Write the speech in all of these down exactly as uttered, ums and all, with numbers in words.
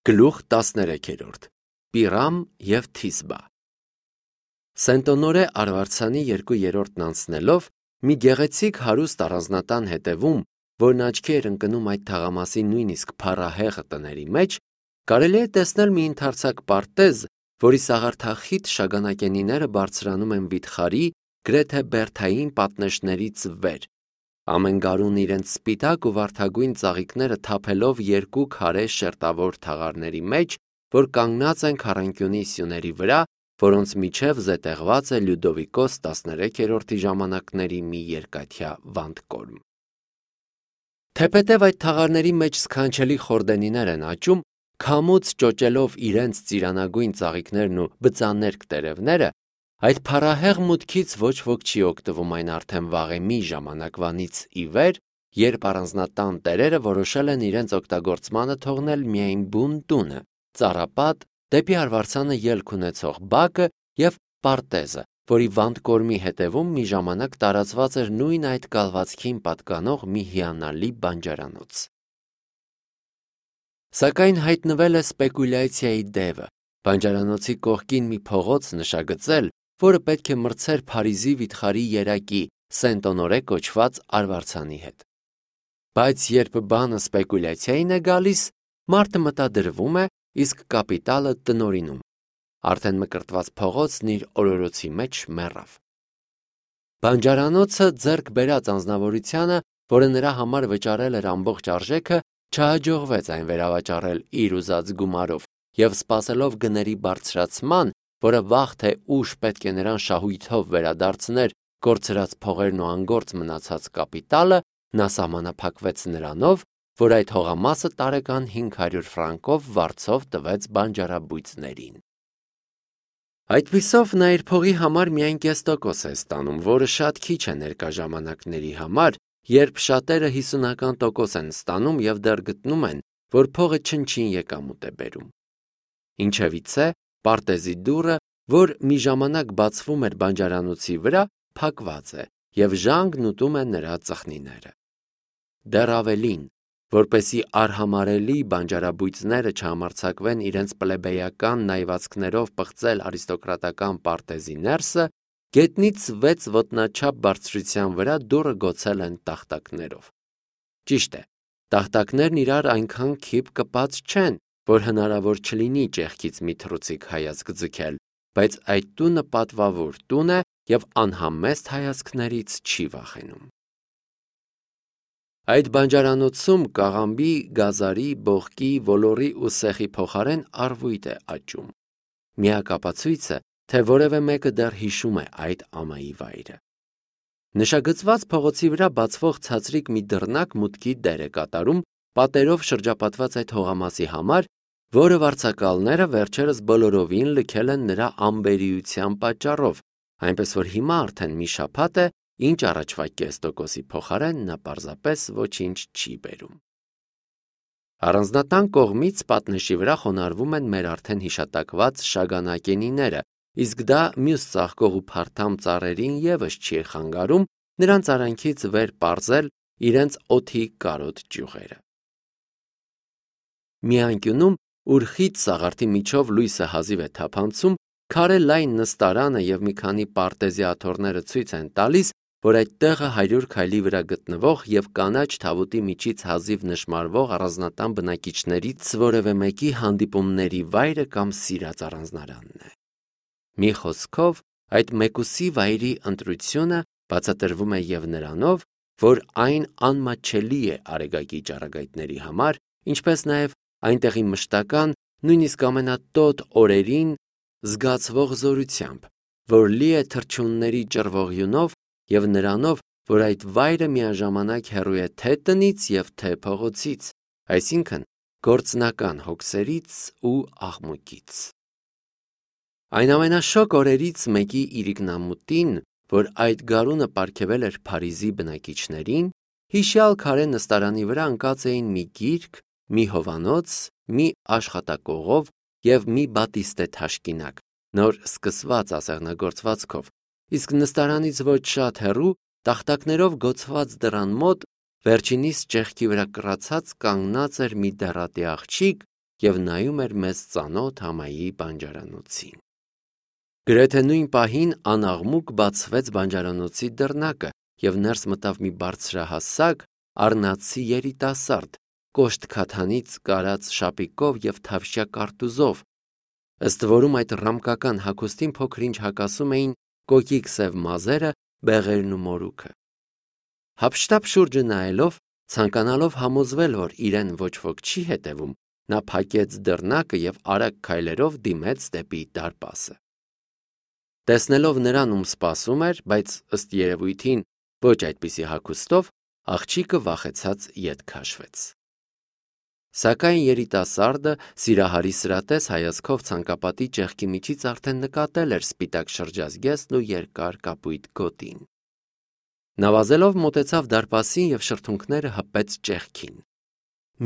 Գլուխ տասներեքերորդ Պիրամ և Թիսբա Սենտոնորե արվարձանի երկու երրորդն անցնելով, մի գեղեցիկ հարուստ առանձնատան հետևում, որն աչքի էր ընկնում այդ թաղամասի նույնիսկ փառահեղ տների մեջ, կարելի է տեսնել մի ընդարձակ պարտեզ, որի սաղարթախիտ շագանակենիները բարձրանում են վիթխարի, գրեթե բերդային պատնեշներից վեր, ամեն գարուն իրենց սպիտակ ու վարդագույն ծաղիկները թափելով երկու քարե շերտավոր թաղարների մեջ, որ կանգնած են քառանկյունի սյուների վրա, որոնց միջև զետեղված է Լյուդովիկոս տասներեքերորդի ժամանակների մի երկաթյա վանդկորմ։ Թեպետև այդ թաղարների մեջ սքանչելի խորդենիներ են աճում, քամուց ճոճելով իրենց ծիրանագույն ծաղիկներն ու բծաներկ տերևները, այդ փառահեղ մուտքից ոչ ոք չի օգտվում այն արդեն վաղեմի ժամանակվանից ի վեր, երբ առանձնատան տերերը որոշել են իրենց օգտագործմանը թողնել միայն բուն տունը, ծառապատ, դեպի արվարձանը ելք ունեցող բակը և պարտեզը, որի վանդկորմի հետևում մի ժամանակ տարածված էր նույն այդ կալվածքին պատկանող մի հիանալի բանջարանոց։ Սակայն հայտնվել է սպեկուլյացիայի դևը, բանջարանոցի կողքին մի փողոց նշագծել, որը պետք է մրցեր Փարիզի վիթխարի երակի Սենտոնորե կոչված արվարձանի հետ։ Բայց երբ բանը սպեկուլյացիային է գալիս, մարդը մտադրվում է, իսկ կապիտալը տնօրինում։ Արդեն մկրտված փողոցն իր օրորոցի մեջ մեռավ։ Բանջարանոցը ձեռք բերած անձնավորությանը, որը նրա համար վճարել էր ամբողջ արժեքը, չհաջողվեց այն վերավաճառել իր ուզած գումարով և սպասելով գների բարձրացման, որը վաղ թե ուշ պետք է նրան շահույթով վերադարձներ կորցրած փողերն ու անգործ մնացած կապիտալը, նա սահմանափակվեց նրանով, որ այդ հողամասը տարեկան հինգ հարյուր ֆրանկով վարձով տվեց բանջարաբույծներին։ Այդպիսով նա իր փողի համար միայն կես տոկոս է ստանում, որը շատ քիչ է ներկա ժամանակների համար, երբ շատերը հիսունական տոկոս են ստանում և դեռ գտնում են, որ փողը չնչին եկամուտ է բերում։ Ինչևիցե, պարտեզի դուռը, որ մի ժամանակ բացվում էր բանջարանոցի վրա, փակված է և ժանգն ուտում է նրա ծխնիները։ Դեռ ավելին, որպեսզի արհամարհելի բանջարաբույծները չհամարձակվեն իրենց պլեբեյական նայվածքներով պղծել արիստոկրատական պարտեզի ներսը, գետնից վեց ոտնաչափ բարձրության վրա դուռը գոցել են տախտակներով։ Ճիշտ է, տախտակներն իրար այնքան քիփ կպած չեն, որ հնարավոր չլինի ճեղքից մի թռուցիկ հայացք ձգել, բայց այդ տունը պատվավոր տուն է և անհամեստ հայացքներից չի վախենում։ Այդ բանջարանոցում կաղամբի, գազարի, բողկի, ոլորի ու սեխի փոխարեն առվույտ է աճում։ Միակ ապացույցը, թե որևէ մեկը դեռ հիշում է այդ ամայի վայրը։ Նշագծված փողոցի վրա բացվող ցածրիկ մի դռնակ մուտքի դեր է կատարում պատերով շրջապատված այդ հողամասի համար, որը վարձակալները վերջերս բոլորովին լքել են նրա անբերիության պատճառով, այնպես որ հիմա արդեն մի շաբաթ է, ինչ առաջվա կես տոկոսի փոխարեն նա պարզապես ոչինչ չի բերում։ Առանձնատան կողմից պատնեշի վրա խոնարհվում են մեր արդեն հիշատակված շագանակենիները, իսկ դա մյուս ծաղկող ու փարթամ ծառերին ևս չի խանգարում նրանց արանքից վեր պարզել իրենց օդի կարոտ ճյուղերը։ Մի անկյունում, ուր խիտ սաղարթի միջով լույսը հազիվ է թափանցում, քարե լայն նստարանը և մի քանի պարտեզի աթոռները ցույց են տալիս, որ այդ տեղը հարյուր քայլի վրա գտնվող և կանաչ թավուտի միջից հազիվ նշմարվող առանձնատան բնակիչներից որևէ մեկի հանդիպումների վայրը կամ սիրած առանձնարանն է։ Մի խոսքով, այդ մեկուսի վայրի ընտրությունը բացատրվում է և նրանով, որ այն անմատչելի է արեգակի ճառագայթների համար, ինչպես նաև այնտեղի մշտական, նույնիսկ ամենատոտ օրերին զգացվող զորությամբ, որ լի է թռչունների ճռվողյունով և նրանով, որ այդ վայրը միաժամանակ հեռու է թե տնից և թե փողոցից, այսինքն գործնական հոգսերից ու աղմուկից։ Այն ամենաշոգ օրերից մեկի իրիկնամուտին, որ այդ գարունը պարգևել էր Փարիզի բնակիչներին, հիշյալ քարե նստարանի վրա ընկած էին մի գիրք, մի հովանոց, մի աշխատակողով և մի բատիստե թաշկինակ, նոր սկսված ասեղնագործվածքով, իսկ նստարանից ոչ շատ հեռու, տախտակներով գոցված դռան մոտ, վերջինիս ճեղքի վրա կռացած կանգնած էր մի դեռատի աղջիկ, և նայում էր մեզ ծանոթ համայի բանջարանոցին։ Գրեթե նույն պահին անաղմուկ բացվեց բանջարանոցի դռնակը, և ներս մտավ մի բարձրահասակ, առնացի երիտասարդ, կոշտ քաթանից կարած շապիկով և թավշյա կարտուզով, ըստ որում այդ ռամկական հագուստին փոքր-ինչ հակասում էին կոկիկ սև մազերը, բեղերն ու մորուքը։ Հափշտապ շուրջը նայելով, ցանկանալով համոզվել, որ իրեն ոչ ոք չի հետևում, նա փակեց դռնակը և արագ քայլերով դիմեց դեպի դարպասը։ Տեսնելով նրան, ում սպասում էր, բայց ըստ երևույթին ոչ այդպիսի հագուստով, աղջիկը վախեցած ետ քաշվեց։ Սակայն երիտասարդը սիրահարի սրատես հայացքով ցանկապատի ճեղքի միջից արդեն նկատել էր սպիտակ շրջազգեստն ու երկար կապույտ գոտին։ Նա վազելով մոտեցավ դարպասին և շրթունքները հպեց ճեղքին։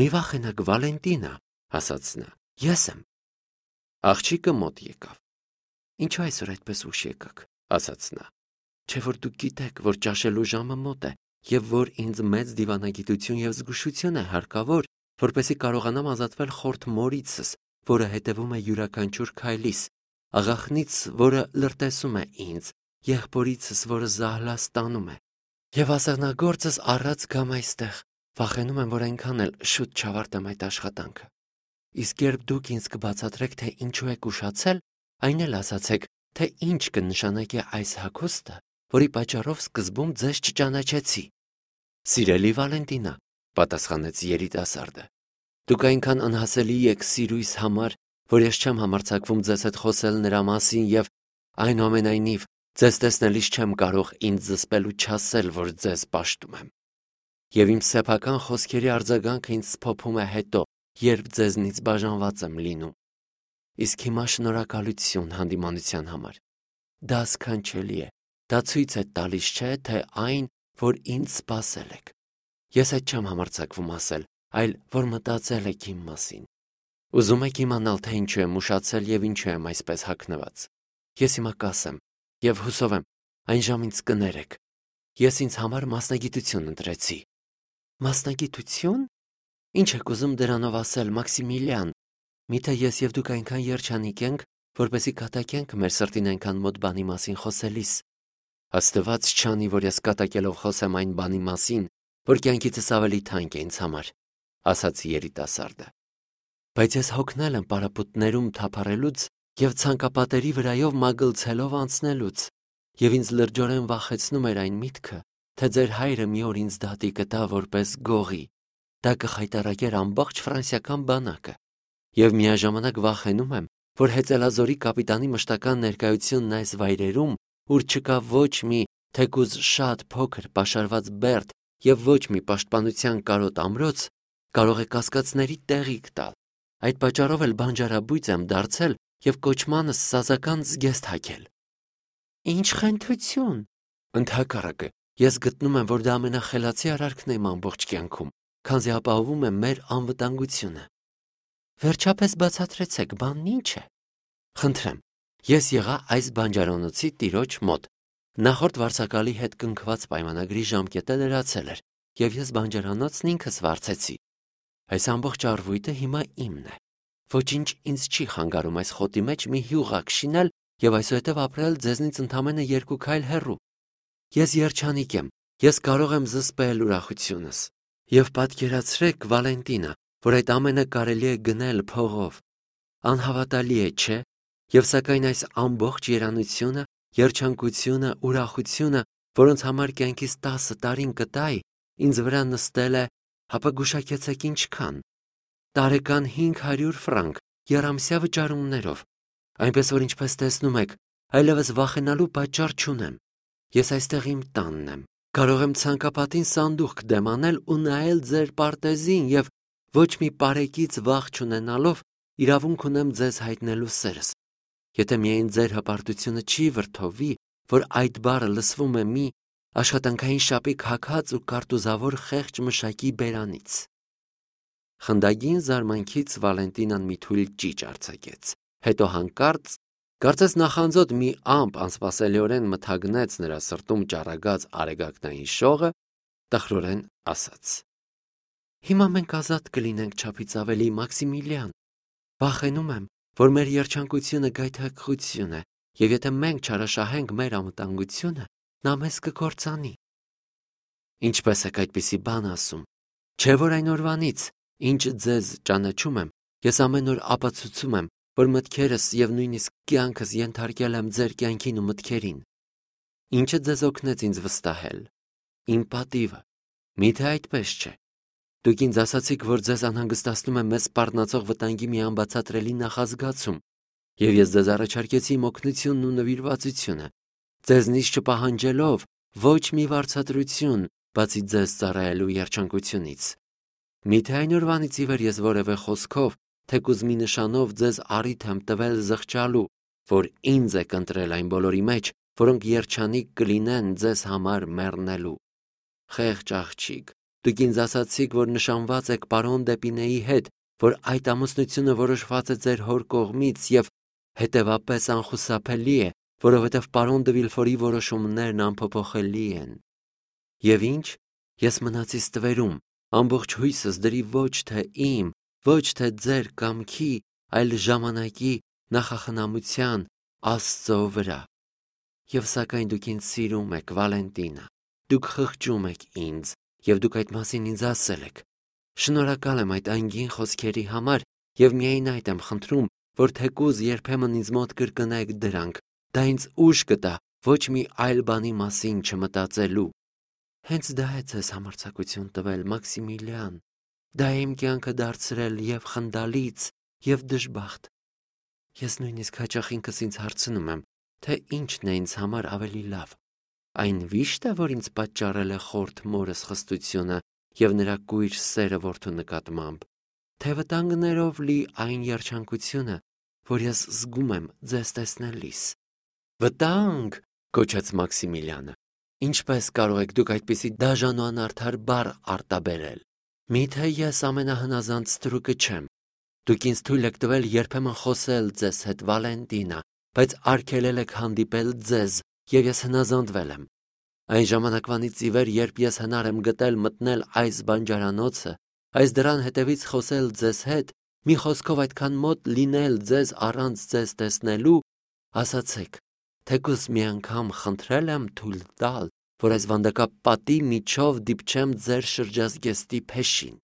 «Մի վախենաք, Վալենտինա», ասաց նա, «ես եմ»։ Աղջիկը մոտ եկավ։ «Ինչու այսօր այդպես ուշ եկաք», ասաց նա, «չէ՞ որ դուք գիտեք, որ ճաշելու ժամը մոտ է, և որ ինձ մեծ դիվանագիտություն և զգուշություն է հարկավոր, որպեսզի կարողանամ ազատվել խորթ մորիցս, որը հետևում է յուրաքանչյուր քայլիս, աղախնից, որը լրտեսում է ինձ, եղբորիցս, որը զահլաս տանում է, և ասեղնագործս առած գամ այստեղ, վախենում եմ, որ այնքան էլ շուտ չավարտեմ այդ աշխատանքը։ Իսկ երբ դուք ինձ կբացատրեք, թե ինչու եք ուշացել, այն էլ ասացեք, թե ինչ կնշանակի այս հագուստը, որի պատճառով սկզբում ձեզ չճանաչեցի»։ «Սիրելի Վալենտինա», պատասխանեց երիտասարդը, «դուք այնքան անհասելի եք սիրույս համար, որ ես չեմ համարձակվում ձեզ հետ խոսել նրա մասին և, այնուամենայնիվ, ձեզ տեսնելիս չեմ կարող ինձ զսպել ու չասել, որ ձեզ պաշտում եմ։ Եվ իմ սեփական խոսքերի արձագանքը ինձ սփոփում է հետո, երբ ձեզնից բաժանված եմ լինում։ Իսկ հիմա շնորհակալություն հանդիմանության համար։ Դա սքանչելի է, դա ցույց է տալիս, չէ՞, թե այն, որ ինձ սպասել եք։ Ես այդ չեմ համարձակվում ասել, այլ որ մտածել եք իմ մասին։ Ուզում եք իմանալ, թե ինչու եմ ուշացել և ինչու եմ այսպես հագնված։ Ես հիմա կասեմ, և հուսով եմ, այն ժամ ինձ կներեք։ Ես ինձ համար մասնագիտություն ընտրեցի։ Մասնագիտություն։ Ինչ եք ուզում դրանով ասել, Մաքսիմիլիան։ Միթե ես և դուք այնքան երջանիկ ենք, որպեսզի կատակենք մեր սրտին այնքան մոտ բանի մասին խոսելիս։ Աստված չանի, որ ես կատակելով խոսեմ այն բանի մասին, որ կյանքիցս ավելի թանկ է ինձ համար, ասաց երիտասարդը։ Բայց ես հոգնել եմ պարապմունքներում թափառելուց և ցանկապատերի վրայով մագլցելով անցնելուց, և ինձ լրջորեն վախեցնում էր այն միտքը, թե ձեր հայրը մի օր ինձ դատի կտա որպես գողի, դա կխայտառակեր ամբողջ ֆրանսիական բանակը, և միաժամանակ վախենում եմ, որ հեծելազորի կապիտանի մշտական ներկայությունն այս վայրերում, ուր չկա ոչ մի, թեկուզ շատ փոքր պաշարված բերդ և ոչ մի պաշտպանության կարոտ ամրոց, կարող է կասկածների տեղիք տալ։ Այդ պատճառով էլ բանջարաբույծ եմ դարձել և կոչմանս սազական զգեստ հագել։ Ինչ խենթություն։ Ընդհակառակը, ես գտնում եմ, որ դա ամենախելացի արարքն է իմ ամբողջ կյանքում, քանզի ապահովում է մեր անվտանգությունը։ Վերջապես բացատրեցեք, բանն ինչ է։ Խնդրեմ, ես եղա այս բանջարանոցի տիրոջ մոտ։ Նախորդ վարձակալի հետ կնքված պայմանագրի ժամկետը լրացել էր, և ես բանջարանոցն ինքս վարձեցի։ Այս ամբողջ առվույտը հիմա իմն է։ Ոչինչ ինձ չի խանգարում այս խոտի մեջ մի հյուղակ շինել և այսուհետև ապրել ձեզնից ընդամենը երկու քայլ հեռու։ Ես երջանիկ եմ, ես կարող եմ զսպել ուրախությունս։ Եվ պատկերացրեք, Վալենտինա, որ այդ ամենը կարելի է գնել փողով։ Անհավատալի է, չէ՞։ Եվ սակայն այս ամբողջ երանությունը, երջանկությունը, ուրախությունը, որոնց համար կյանքիս տասը տարին կտայի, ինձ վրա նստել է, հապա գուշակեցեք ինչքան։ Տարեկան հինգ հարյուր ֆրանկ եռամսյա վճարումներով, այնպես որ ինչպես տեսնում եք, այլևս վախենալու պատճառ չունեմ։ Ես այստեղ իմ տանն եմ, կարող եմ ցանկապատին սանդուղք դեմ անել ու նայել ձեր պարտեզին և ոչ մի պարեկից վախ չունենալով իրավունք ունեմ ձեզ հայտնելու սերս։ Եթե միայն ձեր հպարտությունը չի վրդովվի, որ այդ բառը լսվում է մի աշխատանքային շապիկ հագած ու կարտուզավոր խեղճ մշակի բերանից։ Խնդագին զարմանքից Վալենտինան մի թույլ ճիչ արձակեց, հետո հանկարծ, կարծես նախանձոտ մի ամպ անսպասելիորեն մթագնեց նրա սրտում ճառագած արեգակնային շողը, տխրորեն ասաց. Հիմա մենք ազատ կլինենք չափից ավելի, Մաքսիմիլիան, Վախենում եմ, որ մեր երջանկությունը գայթակղություն է, եւ եթե մենք չարաշահենք մեր անվտանգությունը, նա մեզ կկործանի։ Ինչպես եք այդպիսի բան ասում։ Չէ՞ որ այն օրվանից, ինչ ձեզ ճանաչում եմ, ես ամեն օր ապացուցում եմ, որ մտքերս եւ նույնիսկ կյանքս ենթարկել եմ ձեր կյանքին ու մտքերին։ Ինչը ձեզ օգնեց ինձ վստահել։ Իմ պատիվը։ Միթե այդպես չէ։ Դուք ինձ ասացիք, որ ձեզ անհանգստացնում է մեզ սպառնացող վտանգի մի անբացատրելի նախազգացում, եւ ես ձեզ առաջարկեցի իմ օգնությունն ու նվիրվածությունը, ձեզնից չպահանջելով ոչ մի վարձատրություն, բացի ձեզ ծառայելու երջանկությունից։ Միթե այն օրվանից ի վեր ես որևէ խոսքով, թեկուզ մի նշանով ձեզ առիթ եմ տվել զղջալու, որ ինձ եք ընտրել այն բոլորի մեջ, որոնք երջանիկ կլինեն ձեզ համար մեռնելու։ Խեղճ աղջիկ, դուք ինձ ասացիք, որ նշանված եք պարոն Դեպինեի հետ, որ այդ ամուսնությունը որոշված է ձեր հոր կողմից եւ հետեւապես անխուսափելի է, որովհետեւ պարոն Դը Վիլֆորի որոշումներն անփոփոխելի են։ Եվ ինչ, ես մնացի ստվերում, ամբողջ հույսս դրի ոչ թե իմ, ոչ թե ձեր կամքի, այլ ժամանակի նախախնամության Աստծո վրա։ Եվ սակայն դուք ինձ սիրում եք, Վալենտինա, դուք խղճում եք ինձ, եւ դուք այդ մասին ինձ ասել եք։ Շնորհակալ եմ այդ անգին խոսքերի համար եւ միայն այդ եմ խնդրում, որ թեկուզ երբեմն ինձ մոտ կրկնեք դրանք, դա ինձ ուժ կտա ոչ մի այլ բանի մասին չմտածելու։ Հենց դա է ձեզ համարձակություն տվել, Մաքսիմիլիան, դա է իմ կյանքը դարձրել եւ խնդալից, եւ դժբախտ։ Ես նույնիսկ հաճախ ինքս ինձ հարցնում եմ, թե ինչն է ինձ համար ավելի լավ։ Այն վիշտ է, որ ինձ պատճառել է խորթ մորս խստությունը եւ նրա կույր սերը որդու նկատմամբ, թե վտանգներով լի այն երջանկությունը, որ ես զգում եմ ձեզ տեսնելիս։ Վտանգ, կոչեց Մաքսիմիլիանը։ Ինչպես կարող եք դուք այդպիսի դաժան ու անարդար բառ արտաբերել։ Միթե ես ամենահնազանդ ստրուկը չեմ։ Դուք ինձ թույլ եք տվել երբեմն խոսել ձեզ հետ, Վալենտինա, բայց արգելել եք հանդիպել ձեզ, եւ ես հնազանդվել եմ։ Այն ժամանակվանից ի վեր, երբ ես հնար եմ գտել մտնել այս բանջարանոցը, այս դռան հետևից խոսել ձեզ հետ, մի խոսքով այդքան մոտ լինել ձեզ առանց ձեզ տեսնելու, ասացեք, թեկուզ մի անգամ խնդրել եմ թույլ տալ, որ այս վանդակապատի միջով դիպչեմ ձեր շրջազգեստի փեշին։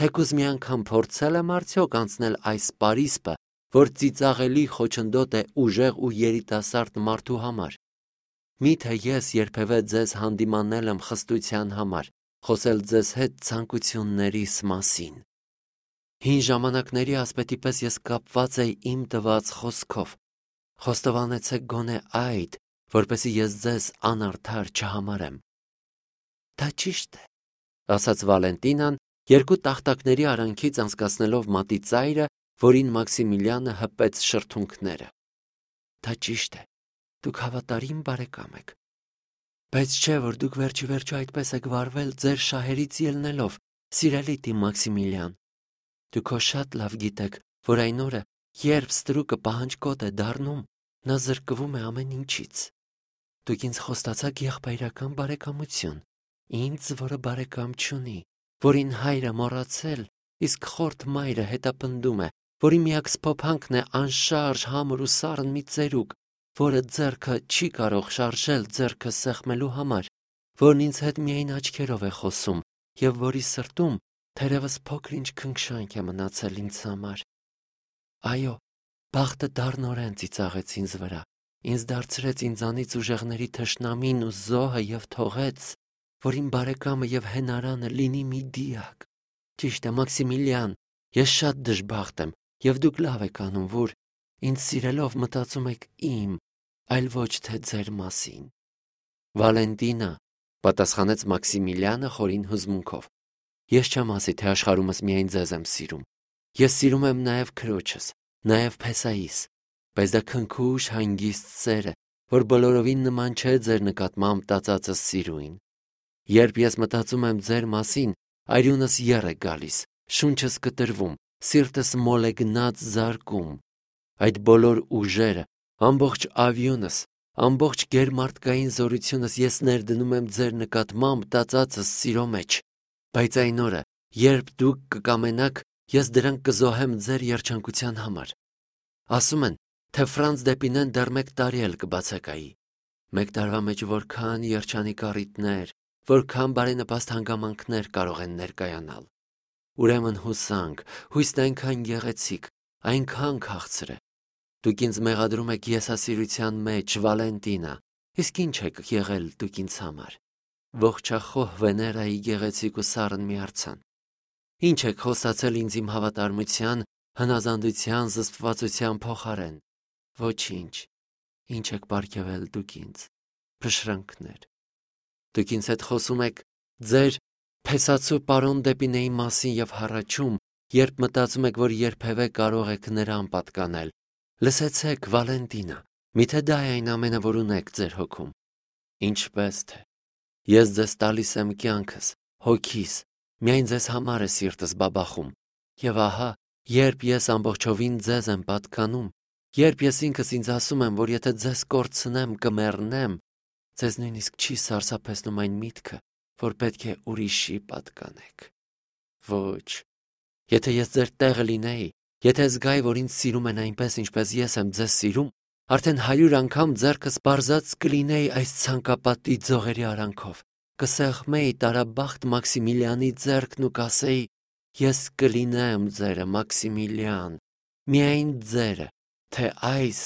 Թեկուզ մի անգամ փորձել եմ արդյոք անցնել այս պարիսպը, որ ծիծաղելի խոչընդոտ է ուժեղ ու երիտասարդ մարդու համար։ Միթե ես երբևէ ձեզ հանդիմանել եմ խստության համար, խոսել ձեզ հետ ցանկություններիս մասին։ Հին ժամանակների ասպետի պես ես կապված էի իմ տված խոսքով։ Խոստովանեցեք գոնե այդ, որպեսզի ես ձեզ անարդար չհամարեմ։ Դա ճիշտ է, ասաց Վալենտինան, երկու տախտակների արանքից անցկացնելով մատի ծայրը, որին Մաքսիմիլիանը հպեց շրթունքները։ Դա ճիշտ է, դուք հավատարիմ բարեկամ եք։ Բայց չէ, որ դուք վերջի վերջո այդպես եք վարվել ձեր շահերից ելնելով, սիրելի տի Մաքսիմիլիան։ Դուք հո շատ լավ գիտեք, որ այն օրը, երբ ստրուկը պահանջկոտ է դառնում, նա զրկվում է ամեն ինչից։ Դուք ինձ խոստացաք եղբայրական բարեկամություն, ինձ, որը բարեկամ չունի, որին հայրը մոռացել, իսկ խորթ մայրը հետապնդում է, որի միակ սփոփանքն է անշարժ համր ու սառն մի ծերուկ, որը ձեռքը չի կարող շարժել ձեռքը սեղմելու համար, որն ինձ հետ միայն աչքերով է խոսում եւ որի սրտում թերևս փոքր-ինչ քնքշանք է մնացել ինձ համար։ Այո, բախտը դառնորեն ծիծաղեց ինձ վրա, ինձ դարձրեց ինձանից ուժեղների թշնամին ու զոհը եւ թողեց, որ իմ բարեկամը եւ հենարանը լինի մի դիակ։ Ճիշտ է, Մաքսիմիլիան, ես շատ դժբախտ եմ եւ դուք լավ եք անում, որ ինձ սիրելով մտածում եք իմ, այլ ոչ թե ձեր մասին։ Վալենտինա, պատասխանեց Մաքսիմիլիանը խորին հուզմունքով, ես չեմ ասի, թե աշխարհումս միայն ձեզ եմ սիրում։ Ես սիրում եմ նաեւ քրոջս, նաեւ Փեսայիս, բայց դա քնքուշ հանգիստ սեր է, որ բոլորովին նման չէ ձեր նկատմամբ տածածս սիրուին։ Երբ ես մտածում եմ ձեր մասին, արյունս եռ է գալիս, շունչս կտրվում, սիրտս մոլ է գնաց զարկում։ Այդ բոլոր ուժերը, ամբողջ ավյունս, ամբողջ գերմարտկային զորությունս ես ներդնում եմ ձեր նկատմամբ տածածս սիրո մեջ, բայց այն օրը, երբ դուք կկամենաք ես դրանք կզոհեմ ձեր երջանկության համար։ Ասում են, թե Ֆրանց Դեպինեն դեռ մեկ տարի էլ կբացակայի։ Մեկ տարվա մեջ որքան երջանիկ առիթներ, որքան բարենպաստ հանգամանքներ կարող են ներկայանալ։ Ուրեմն հուսանք, հույսն այնքան գեղեցիկ, այնքան քաղցր է։ Դուք ինձ մեղադրում եք եսասիրության մեջ, Վալենտինա, իսկ ինչ եք եղել դուք ինձ համար։ Ողջախոհ Վեներայի գեղեցիկ ու սառն միարձան։ Ինչ եք խոսացել ինձ իմ հավատարմության, հնազանդության, զսպվածության փոխարեն։ Ոչինչ։ Ինչ եք պարգևել դուք ինձ։ Փշրանքներ։ Դուք ինձ հետ խոսում եք ձեր փեսացու պարոն Դեպինեի մասին եւ հառաչում, երբ մտածում եք, որ երբևէ կարող եք նրան պատկանել։ Լսեցեք, Վալենտինա, միթե դա է այն ամենը, որ ունեք ձեր հոգում։ Ինչպես թե։ Ես ձեզ տալիս եմ կյանքս, հոգիս, միայն ձեզ համար է սիրտս բաբախում։ Եվ ահա, երբ ես ամբողջովին ձեզ եմ պատկանում, երբ ես ինքս ինձ ասում եմ, որ եթե ձեզ կորցնեմ, կմեռնեմ, ձեզ նույնիսկ չի սարսափեցնում այն միտքը, որ պետք է ուրիշի պատկանեք։ Ոչ, եթե ես ձեր տեղը լինեի, եթե զգայի, որ ինձ սիրում են այնպես, ինչպես ես եմ ձեզ սիրում, արդեն հարյուր անգամ ձեռքս բարձած կլինեի այս ցանկապատի ձողերի արանքով, կսեղմեի տարաբախտ Մաքսիմիլիանի ձեռքն ու կասեի. ես կլինեմ ձերը, Մաքսիմիլիան, միայն ձերը, թե այս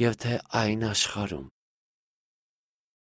և թե այն աշխարհում։